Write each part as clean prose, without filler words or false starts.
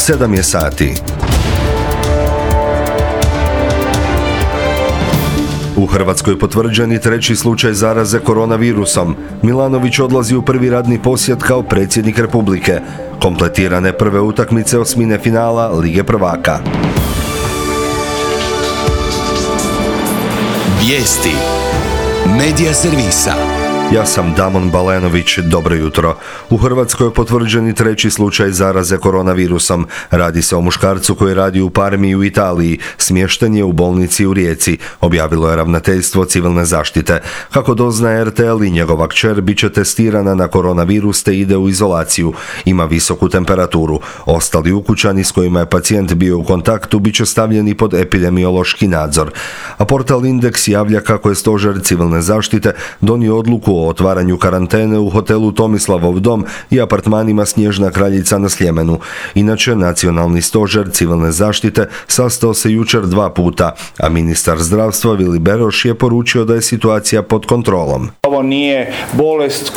7 je sati. U Hrvatskoj potvrđeni treći slučaj zaraze koronavirusom. Milanović odlazi u prvi radni posjet kao predsjednik Republike. Kompletirane prve utakmice osmine finala Lige prvaka. Vijesti Medija servisa. Ja sam Damon Balenović, dobro jutro. U Hrvatskoj je potvrđeni treći slučaj zaraze koronavirusom. Radi se o muškarcu koji radi u Parmi u Italiji. Smješten je u bolnici u Rijeci, objavilo je ravnateljstvo civilne zaštite. Kako doznaje RTL, i njegova kćer bit će testirana na koronavirus te ide u izolaciju. Ima visoku temperaturu. Ostali ukućani s kojima je pacijent bio u kontaktu bit će stavljeni pod epidemiološki nadzor. A portal Indeks javlja kako je stožer civilne zaštite donio odluku o otvaranju karantene u hotelu Tomislavov dom i apartmanima Snježna kraljica na Sljemenu. Inače, nacionalni stožer civilne zaštite sastao se jučer 2 puta, a ministar zdravstva Vili Beroš je poručio da je situacija pod kontrolom. Ovo nije bolest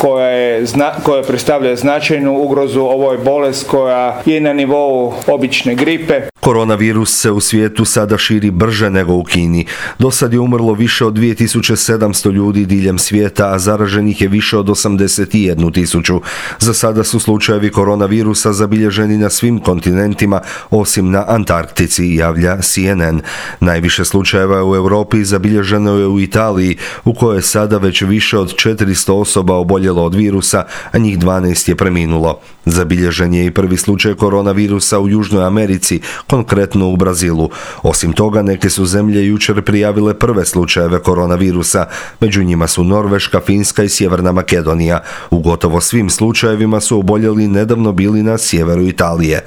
koja predstavlja značajnu ugrozu, ovo je bolest koja je na nivou obične gripe. Koronavirus se u svijetu sada širi brže nego u Kini. Do sad je umrlo više od 2700 ljudi diljem svijeta, a zaraženih je više od 81.000. Za sada su slučajevi koronavirusa zabilježeni na svim kontinentima, osim na Antarktici, javlja CNN. Najviše slučajeva u Europi zabilježeno je u Italiji, u kojoj je sada već više od 400 osoba oboljelo od virusa, a njih 12 je preminulo. Zabilježen je i prvi slučaj koronavirusa u Južnoj Americi, konkretno u Brazilu. Osim toga, neke su zemlje jučer prijavile prve slučajeve koronavirusa. Među njima su Norveška, Finska i Sjeverna Makedonija. U gotovo svim slučajevima su oboljeli nedavno bili na sjeveru Italije.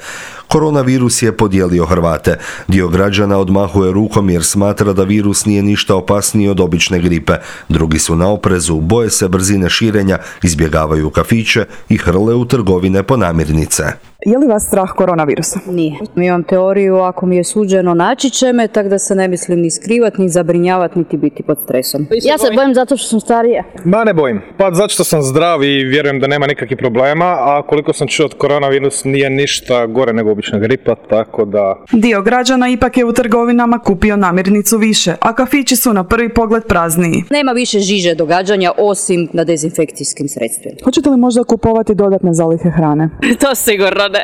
Koronavirus je podijelio Hrvate. Dio građana odmahuje rukom jer smatra da virus nije ništa opasniji od obične gripe. Drugi su na oprezu, boje se brzine širenja, izbjegavaju kafiće i hrle u trgovine po namirnice. Je li vas strah koronavirusa? Nije. Imam teoriju, ako mi je suđeno naći će me, tak da se ne mislim ni skrivati, ni zabrinjavati, niti biti pod stresom. Ja se bojim zato što sam starija. Ma ne bojim. Pa zato što sam zdrav i vjerujem da nema nikakvih problema, a koliko sam čuo od koronavirus nije ništa gore nego obična gripa, tako da... Dio građana ipak je u trgovinama kupio namirnicu više, a kafići su na prvi pogled prazniji. Nema više žiže događanja osim na dezinfekcijskim sredstvima. Hoćete li možda kupovati dodatne zalihe hrane? To sigurno ne.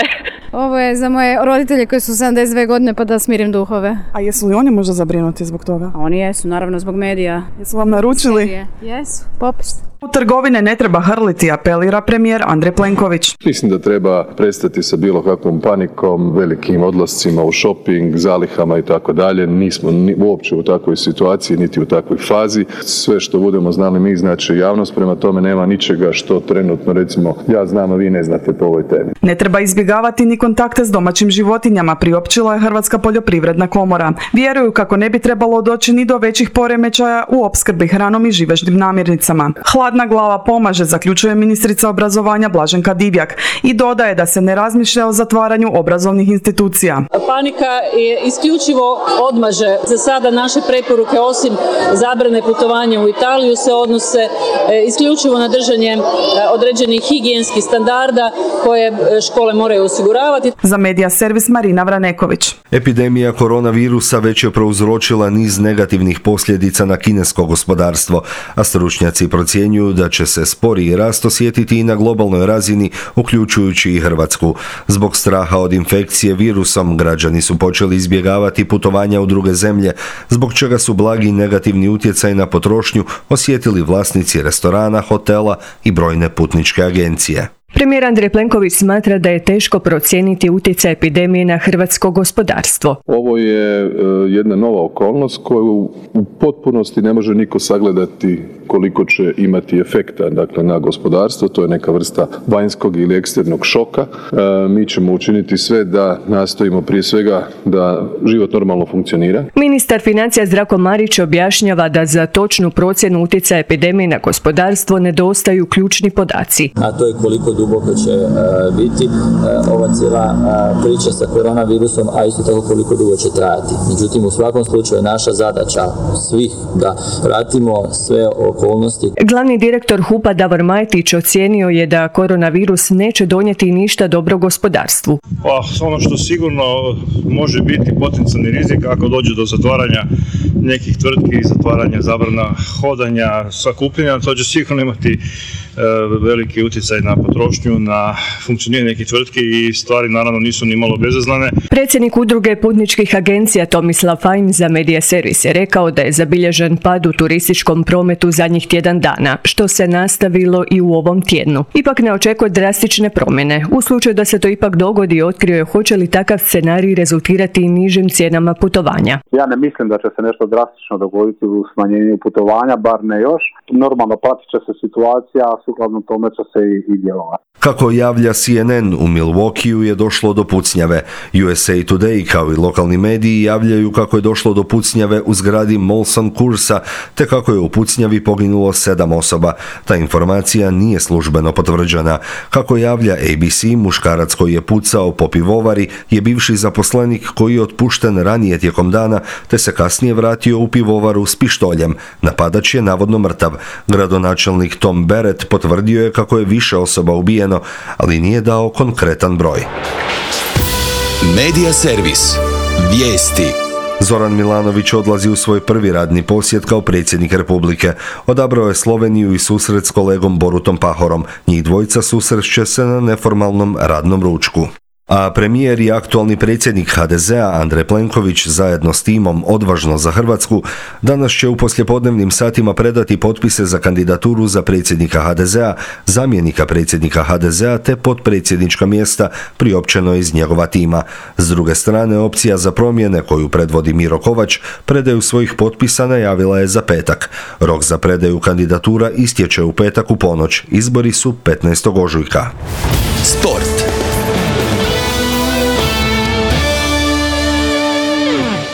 Ovo je za moje roditelje koji su 72 godine pa da smirim duhove. A jesu li oni možda zabrinuti zbog toga? A oni jesu, naravno zbog medija. Jesu vam naručili? Jesu, popis. U trgovine ne treba hrliti, apelira premijer Andrej Plenković. Mislim da treba prestati sa bilo kakvom panikom, velikim odlascima u shopping, zalihama i tako dalje. Nismo uopće u takvoj situaciji, niti u takvoj fazi. Sve što budemo znali mi znači javnost, prema tome nema ničega što trenutno recimo ja znam, a vi ne znate po ovoj temi. Ne treba izbjegavati ni kontakte s domaćim životinjama, priopćila je Hrvatska poljoprivredna komora. Vjeruju kako ne bi trebalo doći ni do većih poremećaja u opskrbi hranom i živežnim namirnicama. Hladna glava pomaže, zaključuje ministrica obrazovanja Blaženka Divjak i dodaje da se ne razmišlja o zatvaranju obrazovnih institucija. Panika je isključivo odmaže. Za sada naše preporuke osim zabrane putovanja u Italiju se odnose isključivo na držanje određenih higijenskih standarda koje škole moraju osiguravati. Za Medija servis Marina Vraneković. Epidemija koronavirusa već je prouzročila niz negativnih posljedica na kinesko gospodarstvo, a stručnjaci procjenjuju da će se sporiji rast osjetiti i na globalnoj razini, uključujući i Hrvatsku. Zbog straha od infekcije virusom, građani su počeli izbjegavati putovanja u druge zemlje, zbog čega su blagi negativni utjecaj na potrošnju osjetili vlasnici restorana, hotela i brojne putničke agencije. Premijer Andrej Plenković smatra da je teško procijeniti utjecaj epidemije na hrvatsko gospodarstvo. Ovo je jedna nova okolnost koju u potpunosti ne može niko sagledati koliko će imati efekta, dakle, na gospodarstvo. To je neka vrsta vanjskog ili eksternog šoka. Mi ćemo učiniti sve da nastojimo prije svega da život normalno funkcionira. Ministar financija Zdravko Marić objašnjava da za točnu procjenu utjecaja epidemije na gospodarstvo nedostaju ključni podaci. A to je koliko duboko će biti ova cijela priča sa koronavirusom, a isto tako koliko dugo će trajati. Međutim, u svakom slučaju naša zadaća svih da pratimo sve okolnosti. Glavni direktor HUP-a Davor Majtić ocijenio je da koronavirus neće donijeti ništa dobro gospodarstvu. Pa ono što sigurno može biti potencijalni rizik ako dođe do zatvaranja nekih tvrtki, zatvaranja, zabrana hodanja, sakupljanja, to će sigurno imati veliki utjecaj na potrošnju, na funkcioniranje nekih tvrtki i stvari naravno nisu ni malo bezazlene. Predsjednik udruge putničkih agencija Tomislav Fajn za Media Servis je rekao da je zabilježen pad u turističkom prometu zadnjih tjedan dana, što se nastavilo i u ovom tjednu. Ipak ne očekuje drastične promjene. U slučaju da se to ipak dogodi, otkrio je hoće li takav scenarij rezultirati nižim cijenama putovanja. Ja ne mislim da će se nešto drastično dogoditi u smanjenju putovanja, bar ne još. Normalno pratit će se situacija, sukladno tome će se i djelovati. Kako javlja CNN, u Milwaukeeu je došlo do pucnjave. USA Today kao i lokalni mediji javljaju kako je došlo do pucnjave u zgradi Molson Coursa, te kako je u pucnjavi poginulo 7 osoba. Ta informacija nije službeno potvrđena. Kako javlja ABC, muškarac koji je pucao po pivovari je bivši zaposlenik koji je otpušten ranije tijekom dana, te se kasnije vratio u pivovaru s pištoljem. Napadač je navodno mrtav. Gradonačelnik Tom Barrett potvrdio je kako je više osoba ubijeno, ali nije dao konkretan broj. Media Servis. Vijesti. Zoran Milanović odlazi u svoj prvi radni posjet kao predsjednik Republike. Odabrao je Sloveniju i susret s kolegom Borutom Pahorom. Njih dvojica susreće se na neformalnom radnom ručku. A premijer i aktualni predsjednik HDZ-a Andrej Plenković zajedno s timom Odvažno za Hrvatsku danas će u poslijepodnevnim satima predati potpise za kandidaturu za predsjednika HDZ-a, zamjenika predsjednika HDZ-a te potpredsjednička mjesta priopćeno iz njegova tima. S druge strane, opcija za promjene koju predvodi Miro Kovač predaju svojih potpisa najavila je za petak. Rok za predaju kandidatura istječe u petak u ponoć. Izbori su 15. ožujka. Sport.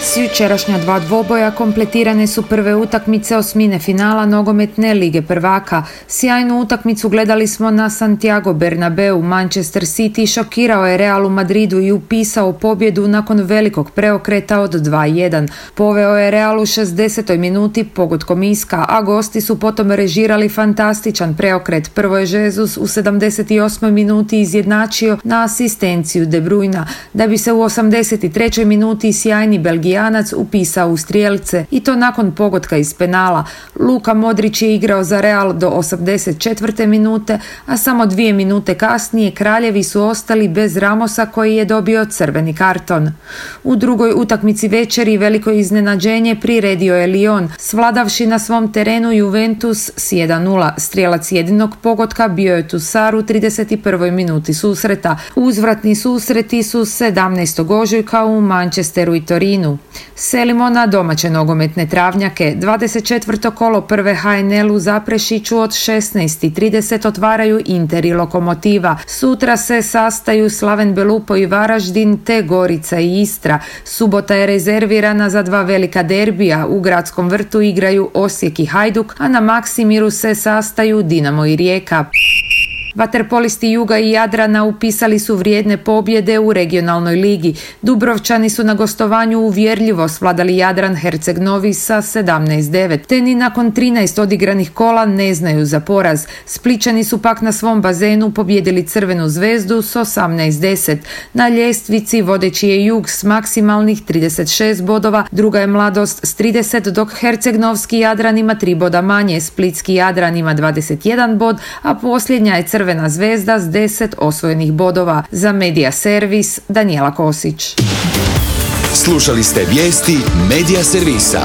S jučerašnja 2 dvoboja kompletirane su prve utakmice osmine finala nogometne Lige prvaka. Sjajnu utakmicu gledali smo na Santiago Bernabeu. Manchester City šokirao je Real u Madridu i upisao pobjedu nakon velikog preokreta od 2-1. Poveo je Real u 60. minuti pogodkom Iska, a gosti su potom režirali fantastičan preokret. Prvo je Jesus u 78. minuti izjednačio na asistenciju De Bruyna, da bi se u 83. minuti sjajni Belgijanac upisao u strijelce i to nakon pogotka iz penala. Luka Modrić je igrao za Real do 84. minute, a samo 2 minute kasnije kraljevi su ostali bez Ramosa koji je dobio crveni karton. U drugoj utakmici večeri veliko iznenađenje priredio je Lyon, svladavši na svom terenu Juventus s 1-0. Strijelac jedinog pogotka bio je Tusar u 31. minuti susreta. Uzvratni susreti su 17. ožujka u Manchesteru i Torinu. Selimo na domaće nogometne travnjake. 24. kolo prve HNL u Zaprešiću od 16:30 otvaraju Inter i Lokomotiva. Sutra se sastaju Slaven Belupo i Varaždin te Gorica i Istra. Subota je rezervirana za 2 velika derbija. U Gradskom vrtu igraju Osijek i Hajduk, a na Maksimiru se sastaju Dinamo i Rijeka. Vaterpolisti Juga i Jadrana upisali su vrijedne pobjede u regionalnoj ligi. Dubrovčani su na gostovanju uvjerljivo svladali Jadran Herceg Novi sa 17-9. Te ni nakon 13 odigranih kola ne znaju za poraz. Splićani su pak na svom bazenu pobjedili Crvenu zvezdu s 18-10. Na ljestvici vodeći je Jug s maksimalnih 36 bodova, druga je Mladost s 30, dok Herceg-Novski Jadran ima 3 boda manje, Splitski Jadran ima 21 bod, a posljednja je Crvena zvezda s 10 osvojenih bodova. Za Media Servis, Danijela Kosić. Slušali ste vijesti Media Servisa.